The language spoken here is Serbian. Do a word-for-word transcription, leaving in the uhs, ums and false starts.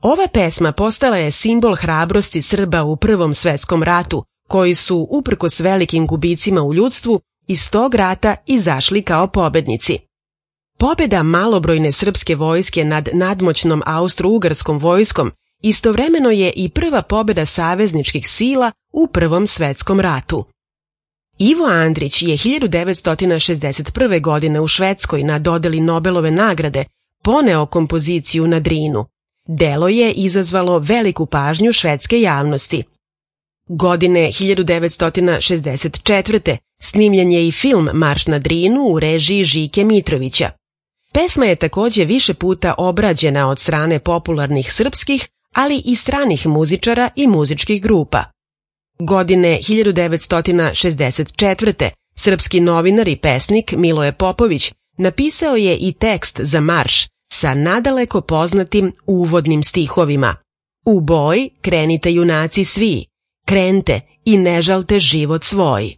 Ova pesma postala je simbol hrabrosti Srba u Prvom svetskom ratu, koji su, uprkos velikim gubicima u ljudstvu, iz tog rata izašli kao pobednici. Pobeda malobrojne srpske vojske nad nadmoćnom austro-ugarskom vojskom istovremeno je i prva pobeda savezničkih sila u Prvom svetskom ratu. Ivo Andrić je hiljadu devetsto šezdeset prve. godine u Švedskoj na dodeli Nobelove nagrade poneo kompoziciju na Drinu. Delo je izazvalo veliku pažnju švedske javnosti. Godine hiljadu devetsto šezdeset četvrte. snimljen je i film Marš na Drinu u režiji Žike Mitrovića. Pesma je takođe više puta obrađena od strane popularnih srpskih, ali i stranih muzičara i muzičkih grupa. Godine hiljadu devetsto šezdeset četvrte. srpski novinar i pesnik Miloje Popović napisao je i tekst za marš sa nadaleko poznatim uvodnim stihovima. U boj krenite junaci svi, krente i ne žalte život svoj.